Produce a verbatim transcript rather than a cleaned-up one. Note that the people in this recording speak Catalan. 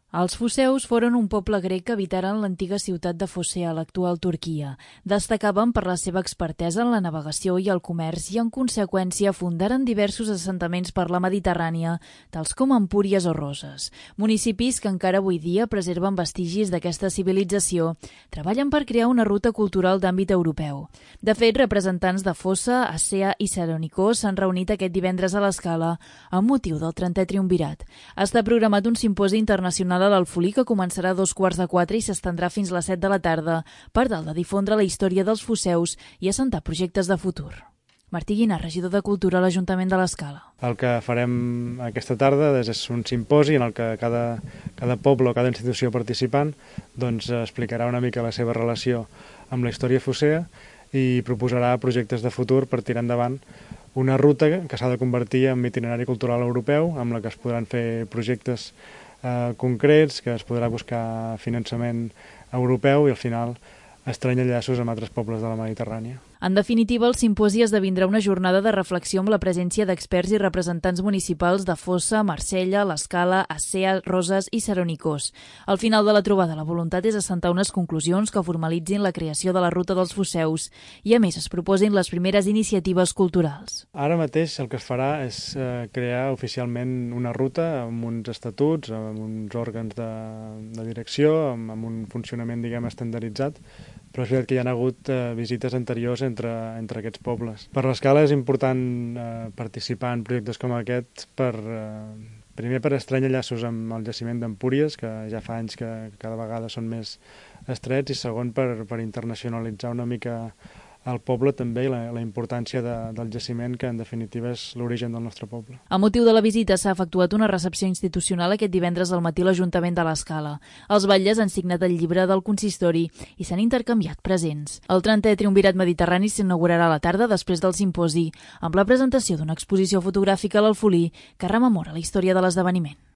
Els foceus foren un poble grec que habitaren l'antiga ciutat de Focea, l'actual Turquia. Destacaven per la seva expertesa en la navegació i el comerç i, en conseqüència, fundaren diversos assentaments per la Mediterrània, tals com Empúries o Roses. Municipis que encara avui dia preserven vestigis d'aquesta civilització, treballen per crear una ruta cultural d'àmbit europeu. De fet, representants de Fossa, Acea i Saronikos s'han reunit aquest divendres a l'Escala amb motiu del trentè triumvirat. Està programat un simposi internacional a l'Alfolí que començarà a dos quarts de quatre i s'estendrà fins les set de la tarda per tal de difondre la història dels foceus i assentar projectes de futur. Martí Guinar, regidor de Cultura a l'Ajuntament de l'Escala. El que farem aquesta tarda és un simposi en el que cada, cada poble o cada institució participant doncs, explicarà una mica la seva relació amb la història focea i proposarà projectes de futur per tirar endavant una ruta que s'ha de convertir en itinerari cultural europeu, amb la que es podran fer projectes eh, concrets, que es podrà buscar finançament europeu i al final estreny llaços amb altres pobles de la Mediterrània. En definitiva, el simposi esdevindrà una jornada de reflexió amb la presència d'experts i representants municipals de Fossa, Marsella, l'Escala, Acea, Roses i Saronikos. Al final de la trobada, la voluntat és assentar unes conclusions que formalitzin la creació de la ruta dels foceus i, a més, es proposin les primeres iniciatives culturals. Ara mateix el que es farà és eh, crear oficialment una ruta amb uns estatuts, amb uns òrgans de, de direcció, amb, amb un funcionament, diguem, estandarditzat, però és veritat que hi ha hagut eh, visites anteriors entre, entre aquests pobles. Per l'Escala és important eh, participar en projectes com aquest per, eh, primer per estrènyer llaços amb el jaciment d'Empúries, que ja fa anys que cada vegada són més estrets, i segon per, per internacionalitzar una mica el poble també i la, la importància de, del jaciment, que en definitiva és l'origen del nostre poble. A motiu de la visita s'ha efectuat una recepció institucional aquest divendres al matí a l'Ajuntament de l'Escala. Els batlles han signat el llibre del consistori i s'han intercanviat presents. El trentè triumvirat mediterrani s'inaugurarà a la tarda després del simposi, amb la presentació d'una exposició fotogràfica a l'Alfolí que rememora la història de l'esdeveniment.